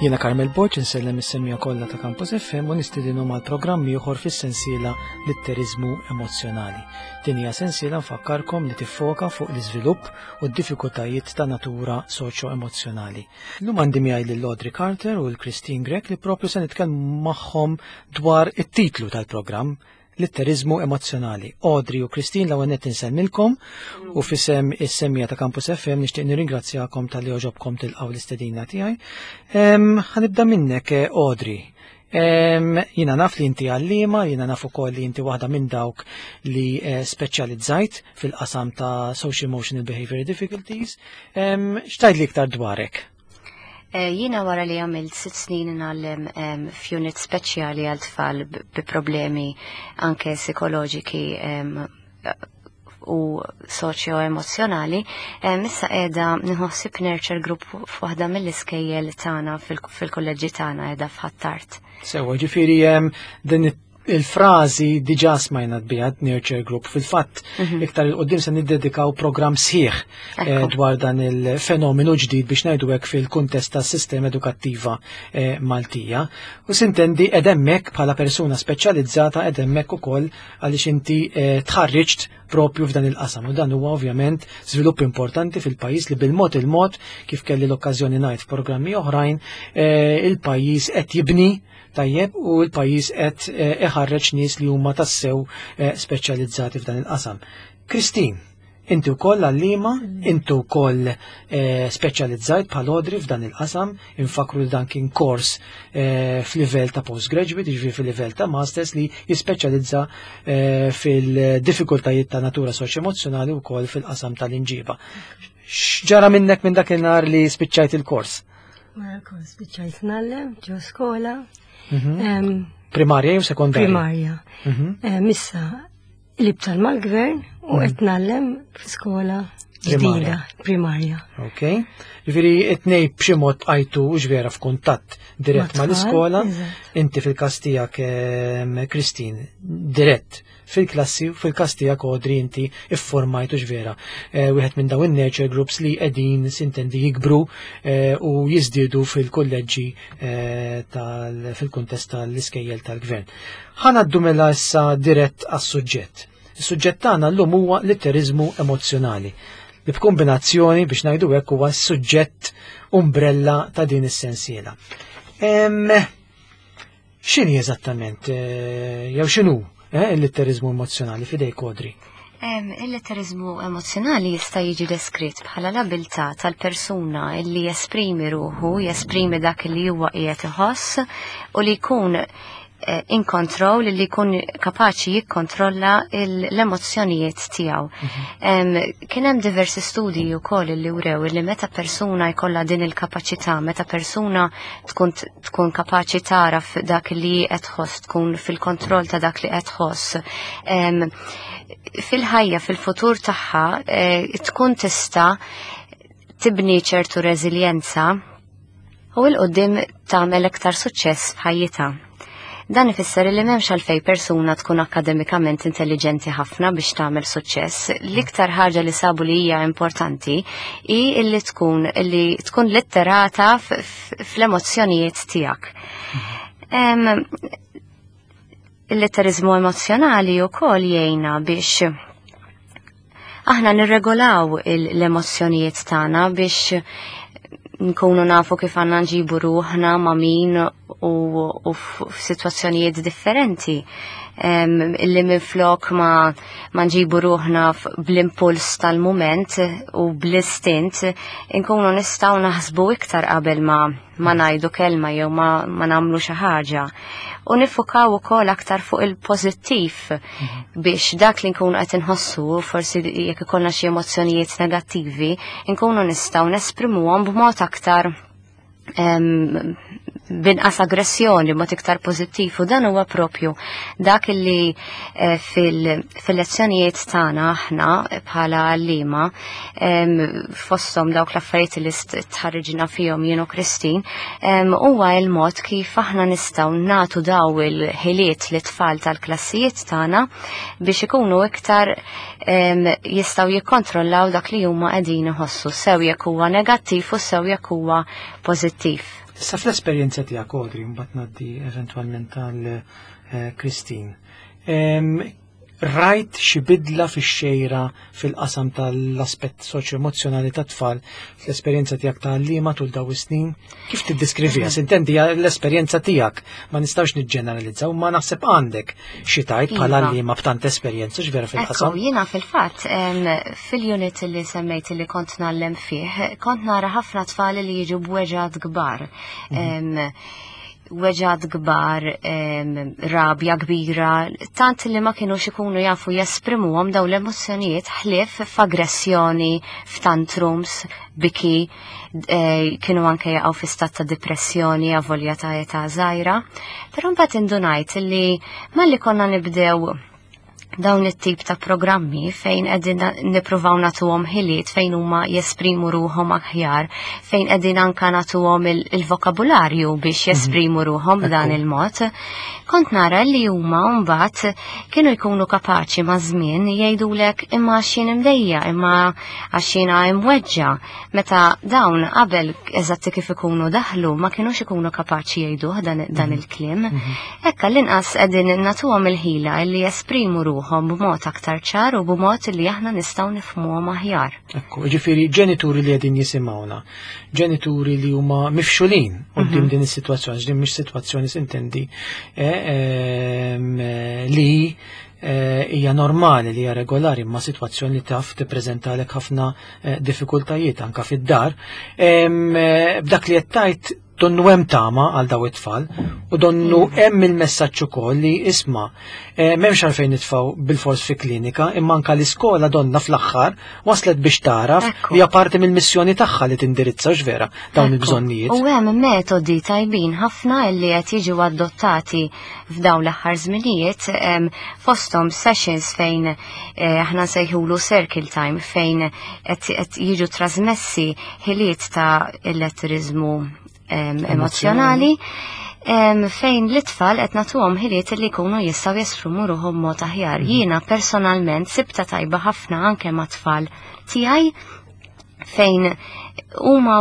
Jiena Carmel Borg insellem is-semija kollha ta' Campus FM u nistidinhom għal programm ieħor fis-sensiela Litteriżmu Emozzjonali. Din hija sensiela nfakkarkom li tiffoka fuq l-iżvilupp u d-diffikultajiet ta' natura soċjo-emozzjonali. Illum għandi miegħi lil Audrey Carter u l-Christine Grech li propju se nitkellmu magħhom dwar it-titlu tal-programm Litteriżmu emozzjonali. Audrey u Christine l-ewwel nett insellmilkom u f'isem is-semmija ta' Campus FM nixtieq nirringrazzjakom talli għoġobkom tilqgħu l-istedina tiegħi. Ħanibda minnek eh, Audrey. Jiena naf li inti għallima, jiena naf ukoll li inti waħda minn dawk li eh, speċjalizzajt fil-qasam ta' social emotional behavior difficulties. X'tgħid li iktar dwarek? Eh, jiena wara li għamilt sitt snin ngħallem f'unit speċjali għal tfal bi problemi anke psikoloġiki u soċjo-emozzjonali, issa qiegħda nħossib nurture group f'waħda mill-iskejjel tagħna fil-kolleġġi tagħna qiegħda f'Ħattart. Sewa, ġifieri din il-frażi diġà smajna biha Nurture Group. Fil-fatt, mhm. iktar il-qoddim se niddedikaw programm sħiħ eh, dwar dan il-fenomenu ġdid biex ngħidu hekk fil-kuntest tas-sistema edukattiva eh, Maltija. U sintendi edemmek bħala persuna speċjalizzata edemmek ukoll għaliex inti eh, tħarriġt propju f'dan il-qasam. U dan huwa ovvjament żvilupp importanti fil-pajjiż li bil-mod il-mod kif kelli l-okkażjoni ngħid f'programmi oħrajn il-pajjiż qed jibni tajjeb u l-pajjiż qed eh, iħarreġ nies li huma tassew eh, speċjalizzati f'dan il-qasam. Kristin, inti wkoll għallima, inti wkoll eh, speċjalizzajt bħal Audrey f'dan il-qasam, infakru li dan kien kors f'livell ta' postgraduate, jiġifieri fil-livell ta' masters li jispeċjalizza fil-diffikultajiet ta' natura soċ-emozzjonali wkoll fil-qasam tal-inġiba. X'ġara minnek minn dakinhar li spiċċajt il-kors? Wara l-kors spiċċajt nallem ġo skola. Mhm. Primarja jew sekondarja? Primarja. Mhm. Issa li btal mal-gvern u mhm. qed nallem f'skola ġdida, primarja. Ok. Ġifieri it-tnej b'xi mod għajtu ġvera f'kuntatt dirett mal-iskola, inti fil-każ tiegħek Christine, dirett fil-klassi u fil-każ tiegħek Audrey inti iffurmajt u vera eh, wieħed minn dawn in-nurture groups li qegħdin sintendi jikbru eh, u jiżdiedu fil-kulleġġi eh, fil-kuntest tal-iskejjel tal-gvern. Ħanaddu mela issa dirett għas-suġġett. Is-suġġett tagħna llum huwa litteriżmu emozzjonali li b'kombinazzjoni biex ngħidu hekk huwa s-suġġett umbrella ta' din is-sensiela. X'inhi eżattament, eh, jew x'inhu eh, il-litterizmu emozjonali fidej kodri? Il-litterizmu emozjonali jista' jiġi deskritt bħala l-abilità tal-persuna li jesprimi ruħu, jesprimi dak li huwa qiegħed iħoss u li jkun Eh, in control li jkun kapaċi jikkontrolla l-emozzjonijiet tiegħu. Mhm. Kien hemm diversi studji wkoll li wrew li meta persuna jkollha din il-kapaċità, meta persuna tkun tkun kapaċi taraf dak li qed tħoss, tkun fil-kontroll ta' dak li qed tħoss. Fil-ħajja, fil-futur tagħha, eh, tkun tista' tibni ċertu reżiljenza u 'l quddiem tagħmel iktar suċċess f'ħajjitha. Dan ifisser li m'hemmx għalfejn persuna tkun akkademikament intelliġenti ħafna biex tagħmel suċċess. L-iktar ħaġa li sabu li hija importanti hi li tkun li tkun litterata fl-emozzjonijiet tiegħek. Il-litterizmu emozjonali wkoll jgħinna biex aħna nirregolaw l-emozzjonijiet tagħna biex nkunu nafu kif għandna nġibu ruħna ma' min u, u f'sitwazzjonijiet differenti. Illi minflok ma, ma nġibu ruħna bl-impuls tal-moment u bl-istint, nkunu nistgħu naħsbu iktar qabel ma ma ngħidu kelma jew ma, ma nagħmlu xi ħaġa. U nifukaw ukoll aktar fuq il-pożittiv mhm. biex dak li nkunu qed inħossu, forsi jekk ikollna xi emozzjonijiet negattivi, nkunu nistgħu nesprimuhom b'mod aktar Binqas aggressjoni, mod iktar pożittiv u dan huwa propju dak li eh, fil-lezzjonijiet tagħna aħna bħala għalliema fosthom dawk l-affarijiet li tħarriġna fihom jien u Kristin, huwa l-mod kif aħna nistgħu nagħtu daw il-ħiliet li tfal tal-klassijiet tagħna biex ikunu iktar jistgħu jikkontrollaw dak li huma qegħdin iħossu sew jekk huwa negattiv u sew jekk huwa pożittiv. Issa fl-esperjenza tiegħek Audrey, mbagħad ngħaddi eventwalment għal eh, Christine. Rajt xi bidla fix-xejra fil-qasam tal-aspett soċjo-emozzjonali tat-tfal fl-esperjenza tiegħek ta' għalliema tul daw is-snin? Kif tiddeskriviha? Sintendi l-esperjenza tiegħek ma nistgħux niġġeneralizzaw, ma naħseb għandek xi tgħid bħala iva. għalliema b'tant esperjenza x'vera fil-qasam. Jiena fil-fatt fil-unit li semmejt li kont ngħallem fih, kont nara ħafna tfal li jiġu b'weġgħat kbar. Mhm. Weġgħat kbar, rabja kbira, tant li ma kienux ikunu jafu jesprimuhom daw l-emozzjonijiet ħlief f'aggressjoni, f'tantrums, biki, eh, kienu anke jaqgħu fi stat ta' depressjoni avolja ta' età żgħira. Però mbagħad indunajt li malli konna nibdew dawn it-tip ta' programmi fejn qegħdin nippruvaw nagħtuhom ħiliet fejn huma jesprimu ruħhom aħjar, fejn qegħdin anka nagħtuhom il-vokabularju biex mhm. jesprimu ruħhom b'dan il-mod. Kont nara li huma mbagħad kienu jkunu kapaċi ma' żmien jgħidulek imma għax jien imdejja, imma għax jiena imweġġa. Meta dawn qabel eżatti kif ikunu daħlu ma kinux ikunu kapaċi jgħiduh dan, dan mhm. il-kliem. Mhm. Hekk għall-inqas qegħdin nagħtuhom il-ħila li jesprimu ruħhom b'mod aktar ċar u b'mod li aħna nistgħu nifhmuhom aħjar. Ekku, ġifieri ġenituri li qegħdin jisimgħuna, ġenituri li huma mifxulin quddiem mhm. din is-sitwazzjoni, din mhix sitwazzjoni sintendi eh, ehm, li eh, hija normali li hija regolari imma sitwazzjoni li taf tippreżentalek ħafna eh, diffikultajiet anka fid-dar. Ehm, b'dak li qed tgħid Donnu hemm tama għal daw it-tfal u donnu mm. hemm il-messaġġ ukoll li isma' eh, m'hemmx għalfejn nitfgħu bil-fors fi klinika imma anka l-iskola donna fl-aħħar waslet biex taraf li hija parti mill-missjoni tagħha li tindirizza x'vera dawn il-bżonnijiet. U hemm metodi tajbin ħafna li qed jiġu adottati f'dawn l-aħħar żminijiet fosthom sessions fejn eh, aħna nsejħulu circle time fejn qed jiġu trasmessi ħiliet ta' il-letterizmu emozjonali fejn l-itfal qed nagħtuhom ħiliet li jkunu jistgħu jesprimu ruħhom mod aħjar. Mhm. Jiena personalment sibta tajba ħafna anke ma' tfal tiegħi fejn huma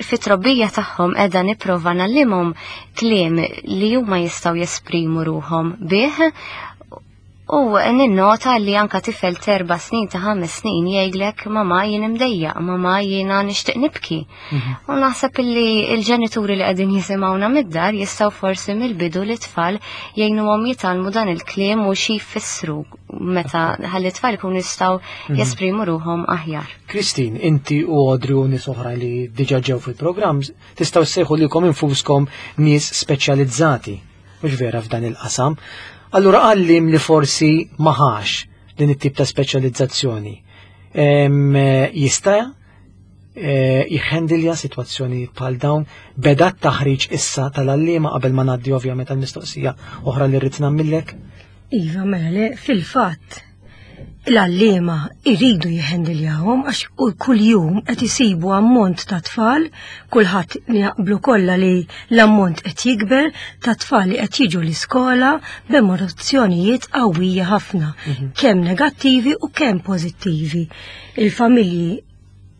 fit-trobbija tagħhom qiegħda nipprova nallimhom kliem li huma jistgħu jesprimu ruħhom bih U ninnota li anka tifel terba snin ta' ħames snin jgħidlek mama jien imdejjaq, mama jiena nixtieq nibki. Mhm. U naħseb li l-ġenituri li qegħdin jisimgħuna mid-dar jistgħu forsi mill-bidu li tfal jgħinuhom jitgħallmu dan il-kliem u xi jfissru meta ħalli tfal ikunu jistgħu mhm. jesprimu ruħhom aħjar. Kristin, inti u Audrey u nies oħra li diġà ġew fil-programm tistgħu ssejħu lilkom infuskom nies speċjalizzati mhux vera f'dan il-qasam. Allura għallim li forsi maħax din it-tip ta' speċjalizzazzjoni. Jista' eh, jħendilja situazzjoni bħal dawn beda t-taħriġ issa tal-għalliema qabel ma ngħaddi ovvjament għall-mistoqsija oħra li rrid nagħmillek? Iva, mela le, fil-fatt l-għalliema iridu jihhendiljahom għax kuljum qed isibu ammont ta' tfal, kulħadd jaqblu kollha li l-ammont qed jikber ta' tfal li qed jiġu l-iskola b'emozzjonijiet qawwija ħafna, mhm. kemm negattivi u kemm pożittivi. Il-familji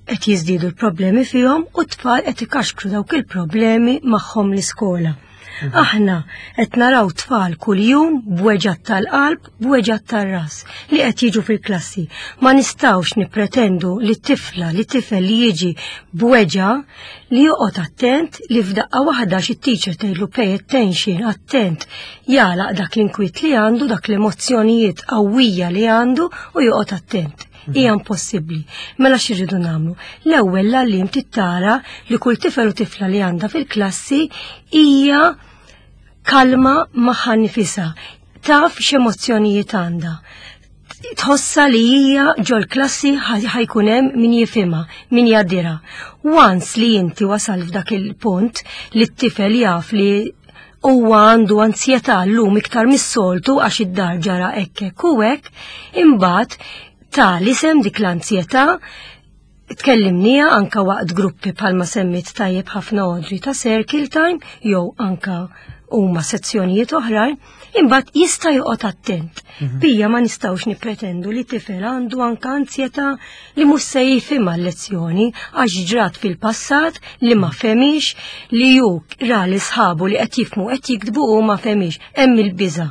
qed jiżdiedu l-problemi fihom u t-tfal qed ikaxkru dawk il-problemi magħhom l-iskola. Mhm. Aħna qed naraw tfal kuljum b'weġgħat tal-qalb, b'weġgħat tar-ras li qed jiġu fil-klassi. Ma nistgħux nippretendu li tifla li tifel li jiġi b'weġgħa li joqgħod attent li f'daqqa waħda xi teacher tgħidlu pay attention, attent, jagħlaq dak l-inkwiet li għandu, dak l-emozzjonijiet qawwija li għandu u joqgħod attent. Hija impossibbli. Mela x'irridu nagħmlu? L-ewwel l-għalliem tittara li kull tifel u tifla li għandha fil-klassi hija kalma magħha nifisha, taf x'emozzjonijiet għandha. Tħossa li hija ġol-klassi ħajkun hemm min jifhimha, min jgħaddira. Once li inti wasal f'dak il-punt li t-tifel jaf li huwa għandu anzjetà llum iktar mis-soltu għax id-dar ġara hekk hekk u hekk, imbagħad ta' l-isem dik l-anzjetà tkellimnija anka waqt gruppi bħalma semmit tajjeb ħafna Audrey ta' circle time jew anka huma sezzjonijiet oħrajn, imbagħad jista' joqgħod attent. Bija ma nistgħux nippretendu li tifel għandu anka anzjetà li mhux se jifhimha l-lezzjoni għax ġrat fil-passat li ma femix li hu ra li sħabu li qed jifhmu qed jiktbu u ma femix hemm il-biża.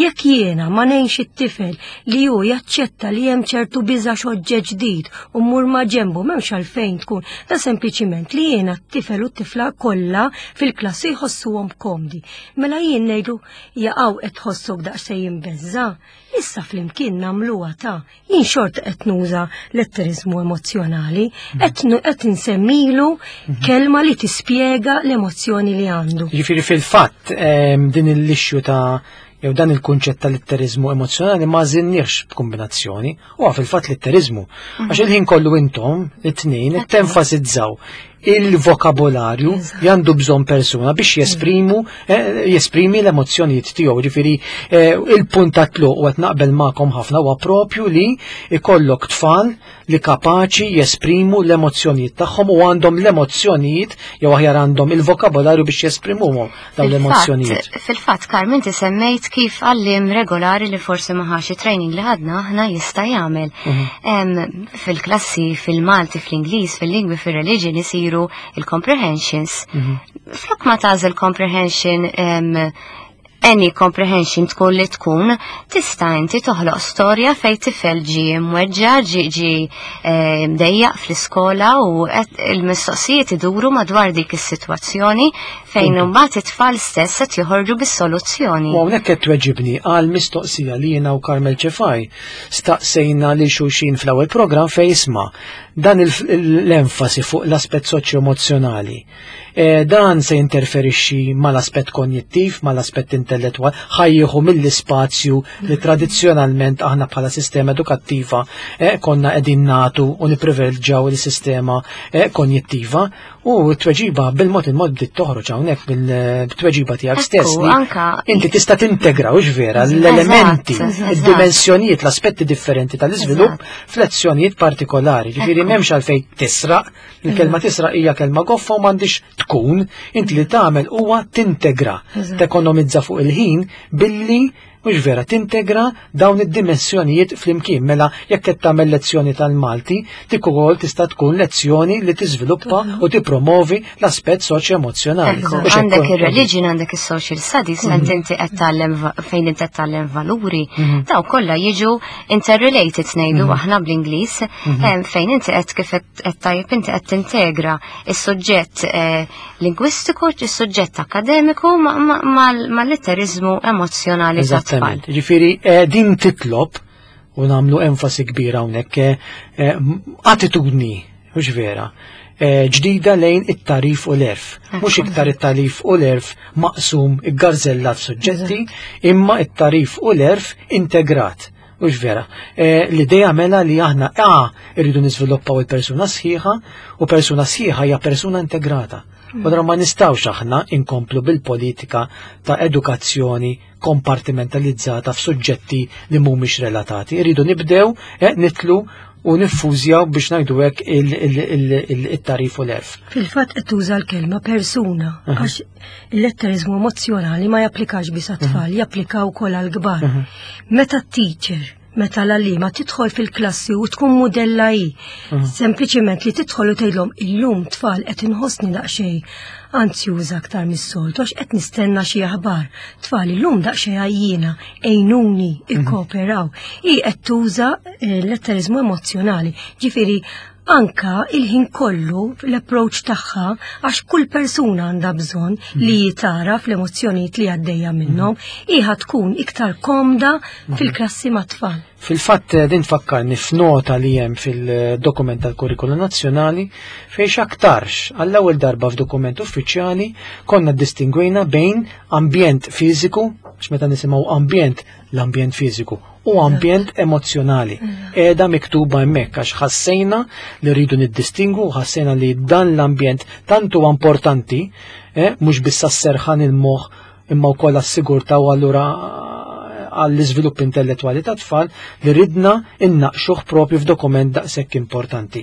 Jekk jiena ma ngħinx it-tifel li hu jaċċetta li hemm ċertu biża' x'oġġett ġdid u mmur ma' ġenbu m'hemmx għalfejn tkun da sempliċiment li jiena t-tifel u t-tifla kollha fil-klassi jħossuhom komdi. Mela jien ngħidu jaqgħu qed tħossok daqsxejn imbeżża', issa flimkien nagħmluha ta' jien xorta qed nuża letterizmu emozzjonali, qed insemmilu kelma li tispjega l-emozzjoni li għandu. Jiġifieri fil-fatt din l-issue ta' jew dan il-kunċett ta' litterizmu emozzjonali ma żinniex b'kombinazzjoni, huwa fil-fatt litterizmu. Għax il-ħin kollu intom, it-tnejn, tenfasizzaw il-vokabolarju li għandu bżonn persuna biex jesprimu jesprimi l-emozzjonijiet tiegħu. Ġifieri il-punt ta' tluq u qed naqbel magħkom ħafna huwa propju li ikollok tfal li kapaċi jesprimu l-emozzjonijiet tagħhom u għandhom l-emozzjonijiet jew aħjar għandhom il-vokabolarju biex jesprimuhom dawn l-emozzjonijiet. Fil-fatt, Carmen, inti semmejt kif għalliem regolari li forsi ma ħax training li ħadna aħna jista' jagħmel. Fil-klassi, fil-Malti, fl-Ingliż, fil-lingwi, fil-religion isiru il-comprehensions. Flok ma tagħżel comprehension any comprehension tkun li tkun, tista' inti toħloq storja fej tifel ġi mweġġa, ġi mdejjaq fl-iskola u il-mistoqsijiet iduru madwar dik is-sitwazzjoni fejn imbagħad it-tfal stess qed joħorġu bis-soluzzjoni. U hawnhekk qed tweġibni għal mistoqsija li jiena u Carmel Ċefaj staqsejna lil xulxin fl-ewwel programm fejn isma' dan l-enfasi fuq l-aspett soċjo-emozzjonali. Dan se jinterferixxi mal-aspett konjittiv, mal-aspett intellettwali, ħajjieħu mill-ispazju li tradizzjonalment aħna bħala sistema edukattiva konna qegħdin nagħtu u nipprivileġġjaw il-sistema konjittiva. U t-tweġiba bil-mod il-mod bdiet toħroġ hawnhekk bil-tweġiba tiegħek stess li inti tista' tintegra hux vera l-elementi, id-dimensjonijiet, l-aspetti differenti tal-iżvilupp f'lezzjonijiet partikolari. Ġifieri m'hemmx għalfejn tisraq, il-kelma tisraq hija kelma goffa u m'għandix tkun, inti li tagħmel huwa tintegra, tekonomizza fuq il-ħin billi mhux vera tintegra dawn id-dimensjonijiet flimkien. Mela jekk qed tagħmel lezzjoni tal-Malti, dik ukoll tista' tkun lezzjoni li tiżviluppa u tippromovi l-aspett soċjo-emozzjonali. Ekku, għandek ir-religion, għandek is-social studies, fejn inti qed tgħallem fejn inti qed tgħallem valuri, daw kollha jiġu interrelated ngħidu aħna bl-Ingliż, fejn inti qed kif qed tajjeb inti qed tintegra is-suġġett lingwistiku, is-suġġett akademiku mal-litterizmu emozjonali tat-tfal. Eżattament. Ġifieri din titlob u nagħmlu enfasi kbira hawnhekk attitudni, mhux vera, ġdida lejn it-tagħrif u l-għerf. Mhux iktar it-tagħrif u l-għerf maqsum iggarżellat suġġetti, imma it-tagħrif u l-għerf integrat. Mhux vera. L-idea mela li aħna irridu niżviluppaw il-persuna sħiħa u persuna sħiħa hija persuna integrata. U dra ma nistgħux aħna inkomplu bil-politika ta' edukazzjoni kompartimentalizzata f'suġġetti li mhumiex relatati. Irridu nibdew nitlu u niffużjaw biex ngħidu hekk it-tagħrif u l-għerf. Fil-fatt qed tuża l-kelma persuna għax il-letterizmu emozjonali ma japplikax biss għat-tfal, japplika wkoll għall-kbar. Meta t-teacher, meta l-għalliema tidħol fil-klassi u tkun mudella hi, sempliċiment li tidħol u tgħidlhom illum tfal qed inħossni daqsxejn anzjuża aktar mis-soltu għax qed nistenna xi aħbar. Tfal illum daqsxejn għajjiena, għejnuni, ikkooperaw. Hi qed tuża l-letterizmu emozjonali. Ġifieri anka il-ħin kollu l-approach tagħha għax kull persuna għandha bżonn li jitara fl-emozzjonijiet li għaddejja minnhom, iha tkun iktar komda fil-klassi mat-tfal. Fil-fatt din tfakkarni f'nota li hemm fil-dokument tal-Kurrikulu Nazzjonali fejn x'aktarx għall-ewwel darba f'dokument uffiċjali konna ddistingwejna bejn ambjent fiżiku, għax meta nisimgħu ambjent, l-ambjent fiżiku, u ambjent emozzjonali. Qiegħda miktuba hemmhekk għax ħassejna li rridu niddistingu u ħassejna li dan l-ambjent tant huwa importanti, mhux biss għas-serħan il-moħħ imma wkoll għas-sigurtà u allura għall-iżvilupp intellettwali ta' tfal li ridna innaqxuh propju f'dokument daqshekk importanti.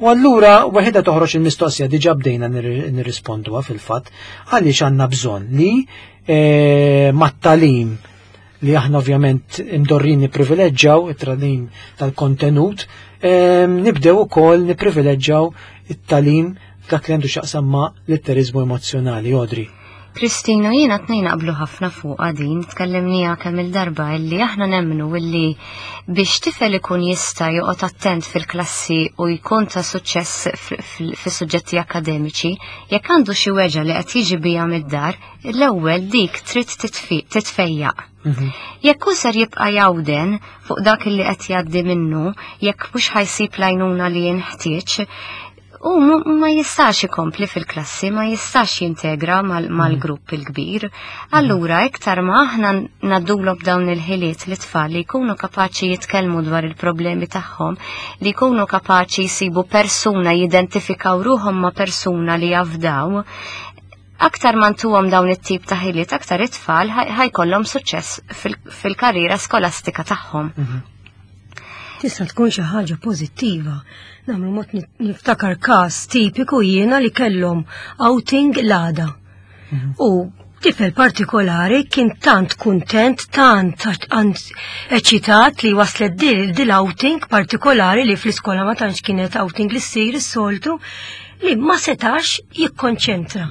U allura waħedha toħroġ il-mistoqsija diġà bdejna nirrisponduha fil-fatt għaliex għandna bżonn li mat-talim li aħna ovvjament imdorrin nipprivileġġaw it-tagħlim tal-kontenut, nibdew ukoll nipprivileġġaw it-tagħlim dak li għandu x'jaqsam ma' litteriżmu emozzjonali, Audrey. Kristina, jiena tnejn naqblu ħafna fuqha din, tkellimniha kemm il-darba illi aħna nemmnu illi biex tifel ikun jista' joqgħod attent fil-klassi u jkun ta' suċċess fis-suġġetti akademiċi, jekk għandu xi weġgħa li qed jiġi biha mid-dar, l-ewwel dik trid titfejjaq. Jekk hu ser jibqa' jawden fuq dak li qed jgħaddi minnu, jekk mhux ħa jsib l-għajnuna li jinħtieġ, u ma jistax ikompli fil-klassi, ma jistax jintegra mal-grupp il-kbir. Allura, iktar ma aħna ngħaddulhom dawn il-ħiliet li tfal li jkunu kapaċi jitkellmu dwar il-problemi tagħhom, li jkunu kapaċi jsibu persuna, jidentifikaw ruħhom ma' persuna li jafdaw, aktar ma ntuhom dawn it-tip ta' ħiliet, aktar it-tfal ħajkollhom suċċess fil-karriera skolastika tagħhom. Tista' tkun xi ħaġa pożittiva. Nagħmlu mod niftakar każ tipiku jiena li kellhom outing l-għada. U tifel partikolari kien tant kuntent, tant eċitat li waslet dil outing partikolari li fl-iskola ma tantx kienet outing li ssir is-soltu, li ma setax jikkonċentra.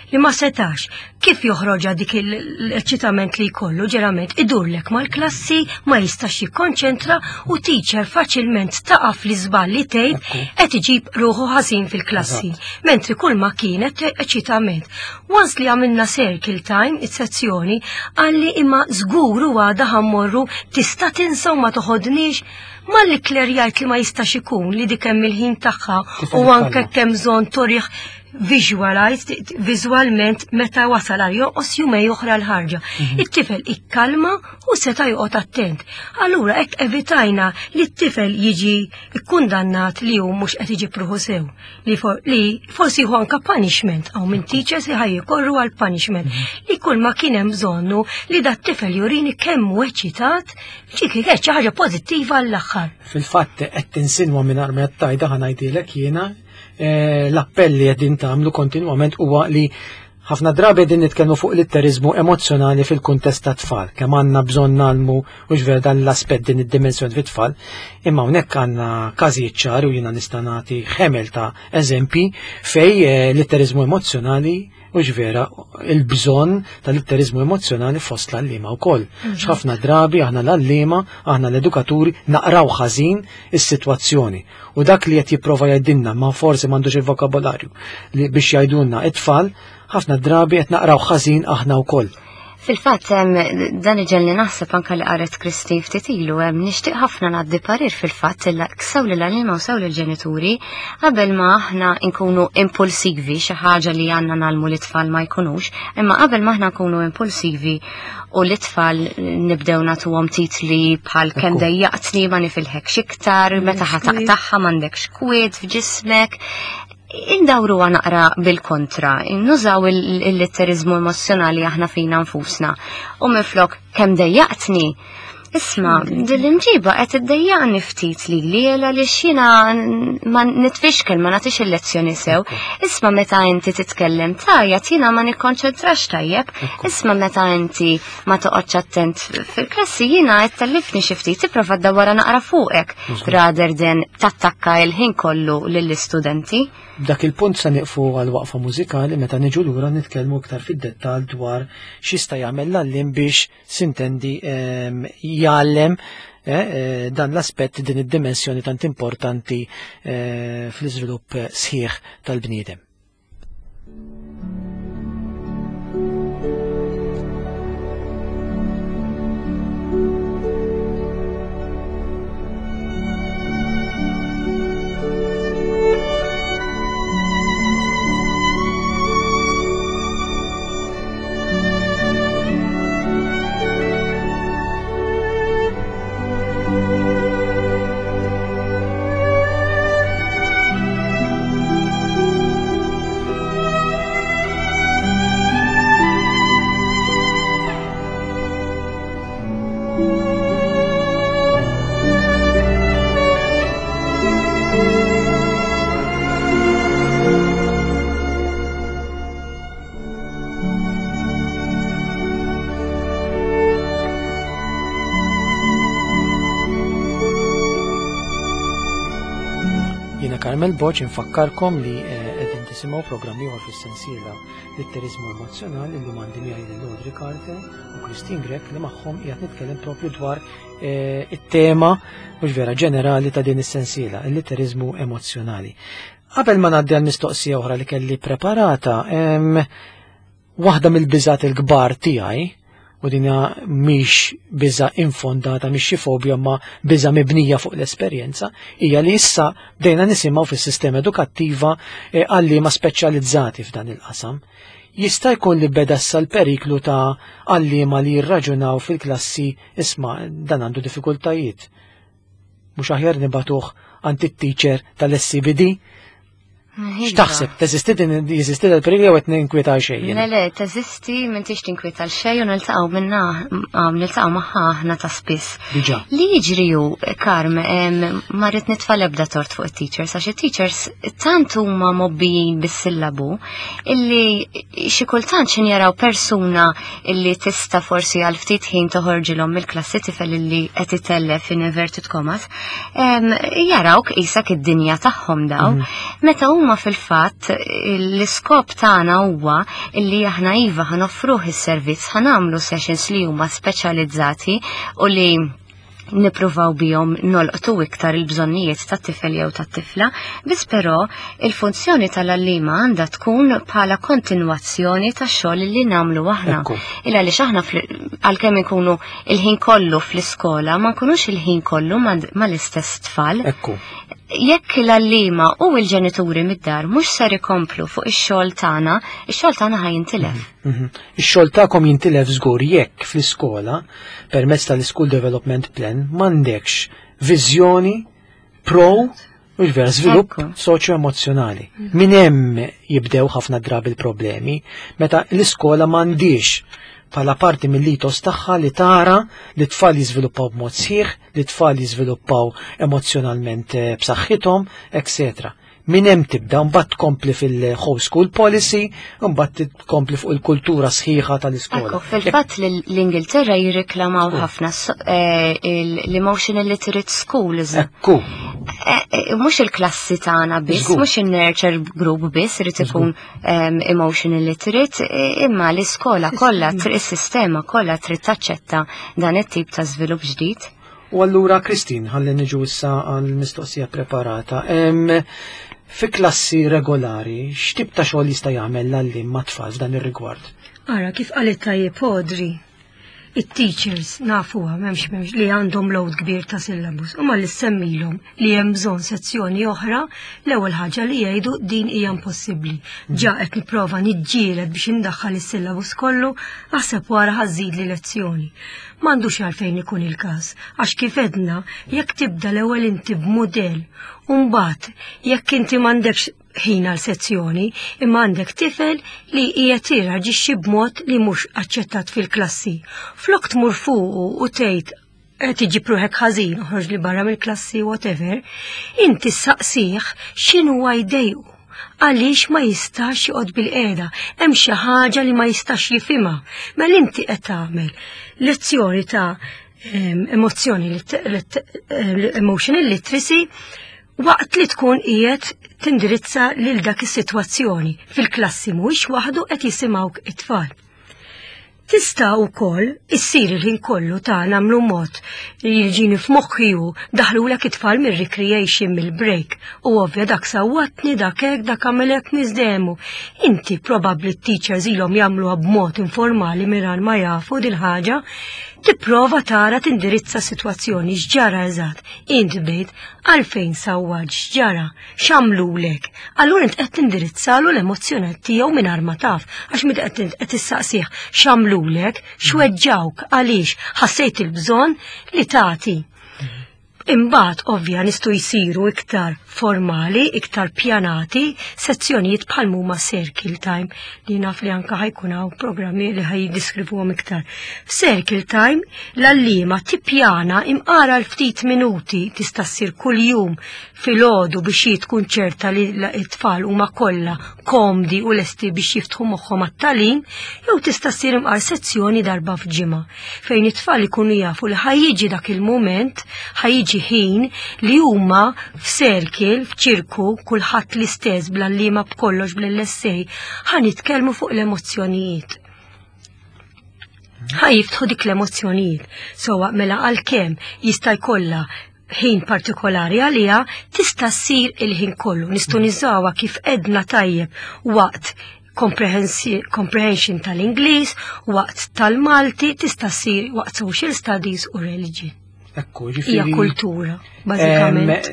Li ma setax, kif joħroġha dik l-eċitament li jkollu, ġerament idurlek mal-klassi, ma jistax jikkonċentra u teacher faċilment taqaf li żball li tgħid qed iġib ruħu ħażin fil-klassi. Mentri kull ma kienet eċitament. Once li għamilna circle time, it-sezzjoni, qalli imma żgur u għada ħammorru tista' tinsa u ma toħodniex. Malli klerjajt li ma jistax ikun li dik hemm il-ħin tagħha Kif u qed anke tkollha? kemm bżonn turih visualized, vizualment meta wasal għal jonqos jumej oħra l-ħarġa. It-tifel ikkalma u seta' joqgħod attent. Allura hekk evitajna li t-tifel jiġi kkundannat li hu mhux qed iġib ruħu sew, li forsi jieħu anka punishment, hawn minn teachers li ħaj jikorru għal punishment. Li kull ma kien hemm bżonnu li dat tifel jurini kemm hu eċitat, ġiek kienet xi ħaġa pożittiva għall-aħħar. Fil-fatt qed tinsinwa mingħajr ma qed tgħidha ħa ngħidilek jiena l-appell li qegħdin tagħmlu kontinwament huwa li ħafna drabi qegħdin nitkellmu fuq litteriżmu emozzjonali fil-kuntest ta' tfal, kemm għandna bżonn nagħmlu u x'vera dan l-aspett din id-dimensjoni fit-tfal, imma hawnhekk għandna każijiet ċari u jiena nista' nagħti ħemel ta' eżempji fej litteriżmu emozzjonali u x'vera il-bżonn tal-litteriżmu emozzjonali fost l-għalliema wkoll. X'ħafna drabi aħna l-għalliema, aħna l-edukaturi naqraw ħażin is-sitwazzjoni. U dak li qed jipprova jgħidilna ma forsi m'għandux il-vokabolarju li biex jgħidulna it-tfal, ħafna drabi qed naqraw ħażin aħna wkoll. Fil-fatt, dan iġelli naħseb anka li qaret Christine ftit ilu, nixtieq ħafna ngħaddi parir fil-fatt illa sew lil għalliema u sew lill-ġenituri qabel ma aħna nkunu impulsivi, xi ħaġa li għandna nagħlmu li tfal ma jkunux, imma qabel ma aħna nkunu impulsivi u li tfal nibdew nagħtuhom titli bħal kemm dejjaqtni ma nifilħekx iktar, meta ħa taqtagħha m'għandekx kwiet f'ġismek. Indawru naqra bil-kontra, nużaw il-litterizmu emozjonali aħna fina nfusna. U minflok kemm dejjaqtni, isma, dil-imġiba qed iddejjaqni ftit li li għaliex jiena ma nitfixkel, ma nagħtix il-lezzjoni sew. Isma' meta inti titkellem tajjeb jiena ma nikkonċentrax tajjeb. Isma' meta inti ma toqgħodx attent fil-klassi jiena qed tellifni xi ftit, tipprova ddawwara naqra fuqek rather than tattakka il-ħin kollu lill-istudenti. Dak il-punt se nieqfu għal waqfa mużikali meta niġu lura nitkellmu iktar fid-dettall dwar x'jista' jagħmel l-għalliem biex sintendi jgħallem dan l-aspett, din id-dimensjoni tant importanti fl-iżvilupp sħiħ tal-bniedem. Carmel Boċ, infakkarkom li eh, qegħdin tisimgħu programm ieħor fis-sensiela Litterizmu Emozjonali li għandi miegħi lil Audrey Carter u Christine Grech li magħhom qiegħed nitkellem propju dwar eh, it-tema mhux vera ġenerali ta' din is-sensiela, il-litterizmu emozjonali. Qabel ma ngħaddi għal mistoqsija oħra li kelli preparata, waħda mill-biżat il-kbar tiegħi u dinja mhix biża infondata, mhix xi fobja ma biża mibnija fuq l-esperjenza, hija li issa bdejna nisimgħu fis-sistema edukattiva eh, għalliema speċjalizzati f'dan il-qasam. Jista' jkun li beda issa l-periklu ta' għalliema li jirraġunaw fil-klassi isma' dan għandu diffikultajiet. Mhux aħjar nibatuh għand it-teacher tal-SCBD X'taħseb, teżisti din jeżisti dal-periklu jew qed ninkwieta xejn? Le le, teżisti m'intix tinkwieta l xejn u niltaqgħu minna niltaqgħu magħha aħna ta' spiss. Diġà. Li jiġri hu, Karm, ma rrid nitfa' l-ebda tort fuq it-teachers għax it-teachers tant huma mobbijin bis-sillabu illi xi kultant x'in jaraw persuna illi tista' forsi għal ftit ħin toħorġilhom mill-klassi tifel illi qed itellef in inverted commas, jarawk qisek id-dinja tagħhom daw. Mhm. Meta huma fil-fatt l-iskop tagħna huwa illi aħna iva ħanoffruh is-servizz, ħanamlu sessions li huma speċjalizzati u li nipruvaw bihom nolqtu iktar il-bżonnijiet tat-tifel jew tat-tifla, biss però il-funzjoni tal-għallima għandha tkun bħala kontinwazzjoni tax-xogħol li nagħmlu aħna. Il għaliex aħna għalkemm inkunu il-ħin kollu fl-iskola ma nkunux il-ħin kollu mal-istess tfal. Ekku. Jekk l-għallima u l-ġenituri mid-dar mhux ser ikomplu fuq ix-xogħol tagħna, ix-xogħol tagħna ħa jintilef. Mhm, mhm. Ix-xogħol tagħkom jintilef żgur jekk fl-iskola permezz tal-School Development Plan m'għandekx viżjoni pro u vera żvilupp soċjo-emozzjonali. Mhm. Min hemm jibdew ħafna drabi l-problemi meta l-iskola m'għandix bħala parti mill-litos tagħha li tara li tfal jiżviluppaw b'mod sħiħ, li tfal jiżviluppaw emozjonalment eh, b'saħħithom, etc. Minn hemm tibda mbagħad tkompli fil-home school policy, mbagħad tkompli fuq il-kultura sħiħa tal-iskola. Fil-fatt l-Ingilterra jirriklamaw ħafna eh, l-emotional literate schools. Ekku. Eh, eh, mhux il-klassi tagħna biss, mhux in-nurture group biss irid ikun ehm, emotional literate, imma l-iskola kollha, is-sistema kollha trid taċċetta dan it-tip ta' żvilupp ġdid. U allura Christine, ħalli niġu issa għal mistoqsija preparata. Fi klassi regolari, x'tip ta' xogħol jista' jagħmel l-għalliem ma' tfal f'dan ir-rigward? Ara, kif qalet tajjeb Audrey, it-teachers nafuha m'hemmx m'hemmx li għandhom load kbir ta' syllabus u malli ssemmilhom li hemm bżonn sezzjoni oħra, l-ewwel ħaġa li jgħidu din hija impossibbli. Ġa qed nipprova niġġieled biex indaħħal is-syllabus kollu, aħseb wara ħażid li lezzjoni. M'għandux għalfejn ikun il-każ, għax kif għedna, jekk tibda l-ewwel inti b'mudell u mbagħad jekk inti m'għandekx ħin għal sezzjoni, imma għandek tifel li qiegħed jirraġixxi b'mod li mhux aċċettat fil-klassi. Flok tmur fuqu u tgħid qed iġib ruħek ħażin, oħroġ li barra mill-klassi whatever, inti saqsih x'inhuwa jdejqu għaliex ma jistax joqgħod bil-qiegħda, hemm xi ħaġa li ma jistax jifhimha. Mela inti qed tagħmel lezzjoni ta' emozzjoni emotional literacy waqt li tkun qiegħed tindirizza lil dak is-sitwazzjoni fil-klassi mhuwiex waħdu qed jisimgħuk it-tfal. Tista' wkoll issir il-ħin kollu ta' nagħmlu mod li jiġini f'moħħi hu daħlulek it-tfal mir-recreation mill-break u ovvja dak sawwatni dak hekk dak għamel hekk niżdemu. Inti probabbli t-teachers ilhom jagħmluha b'mod informali mingħajr ma jafu dil-ħaġa, tipprova tara tindirizza s-sitwazzjoni x'ġara eżatt. Int bdejt għalfejn sawwat x'ġara. X'għamlulek? Allura int qed tindirizzalu l-emozzjoni tiegħu mingħajr ma taf, għax meta qed qed issaqsih x'għamlulek, x'weġġawk, għaliex ħassejt il-bżonn li tagħti. Imbagħad ovvja nistgħu jsiru iktar formali, iktar pjanati, sezzjonijiet bħal huma circle time li naf li anka ħajkun hawn programmi li ħaj jiddeskrivuhom iktar. F'circle time l-għalliema tippjana imqara l-ftit minuti tista' ssir kuljum filgħodu biex hi tkun ċerta li t-tfal huma kollha komdi u lesti biex jiftħu moħħhom għat-tagħlim, jew tista' ssir imqar sezzjoni darba f'ġimgħa fejn it-tfal ikunu jafu li ħajjiġi dak il-mument, ħajjiġi xi ħin li huma f'circle, f'ċirku, kulħadd l-istess bl-għalliema b'kollox bl-LSA, ħa nitkellmu fuq l-emozzjonijiet. Ħa jiftħu dik l-emozzjonijiet. Sowa mela għalkemm jista' jkollha ħin partikolari għaliha tista' ssir il-ħin kollu. Nistgħu niżawha kif edna tajjeb waqt comprehension tal-Ingliż, waqt tal-Malti, tista' ssir waqt social studies u religion. Ekku, ġifieri. Hija kultura, bażikament.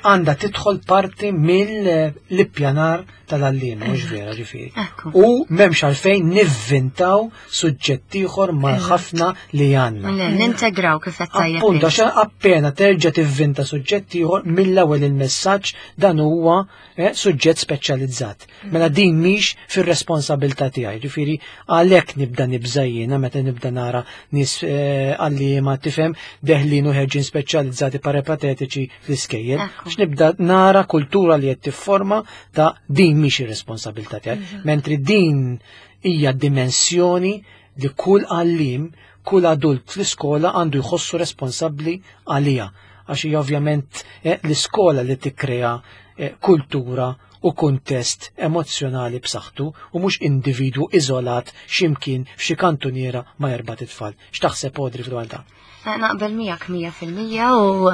Għandha tidħol parti mill-ippjanar tal-għalliem, mhux vera ġifieri. U m'hemmx għalfejn nivvintaw suġġett ieħor ma' ħafna li għandna. Le, nintegraw kif qed tajjeb. Appunto, għax appena terġa' tivvinta suġġett ieħor mill-ewwel il-messaġġ dan huwa eh, suġġett speċjalizzat. Mela din mhix fir-responsabilità tiegħi. Ġifieri għalhekk nibda nibża' jiena meta nibda nara nies eh, għalliema tifhem deħlin u ħerġin speċjalizzati parapatetiċi fl-iskejjel. X'nibda nara kultura li qed tifforma ta' din mhix ir-responsabilità tiegħi. Mentri din hija dimensjoni li kull għallim, kull adult fl-iskola għandu jħossu responsabbli għalija. Għax hija ovvjament eh, l-iskola li tikkrea eh, kultura u kuntest emozzjonali b'saħħtu u mhux individwu iżolat x'imkien f'xi kantuniera ma' erba' tfal. X'taħseb Audrey f'dwar dan? Eh, naqbel miegħek 100% u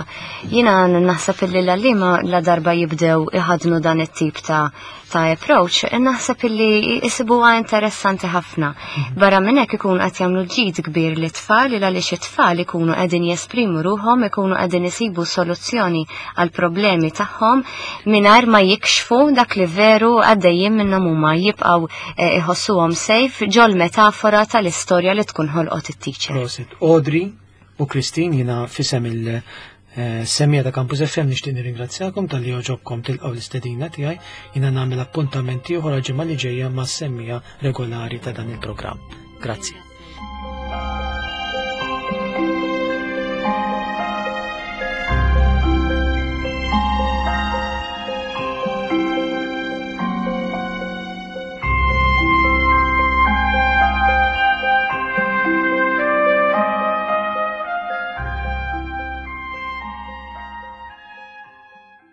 jiena naħseb illi l-għalliema la darba jibdew iħadnu dan it-tip ta' ta' approach, naħseb illi jisibuha interessanti ħafna. Mhm. Barra minn hekk ikun qed jagħmlu ġid kbir li tfal il għaliex it-tfal ikunu qegħdin jesprimu ruhom, ikunu qegħdin isibu soluzzjoni għal problemi tagħhom mingħajr ma jikxfu dak li veru għaddejjin minnhom huma jibqgħu eh, iħossuhom safe ġol metafora tal-istorja li tkun ħolqot it-teacher. Prosit. Audrey u Christine jina fisem il-semija ta' Campus FM nixtieq nirringrazzjakom tal-li oġobkom tilqgħu l-istedina tiegħi jina nagħmel appuntament ieħor għal ġimgħa li ġejja mas-semmija regolari ta' dan il-programm. Grazzi.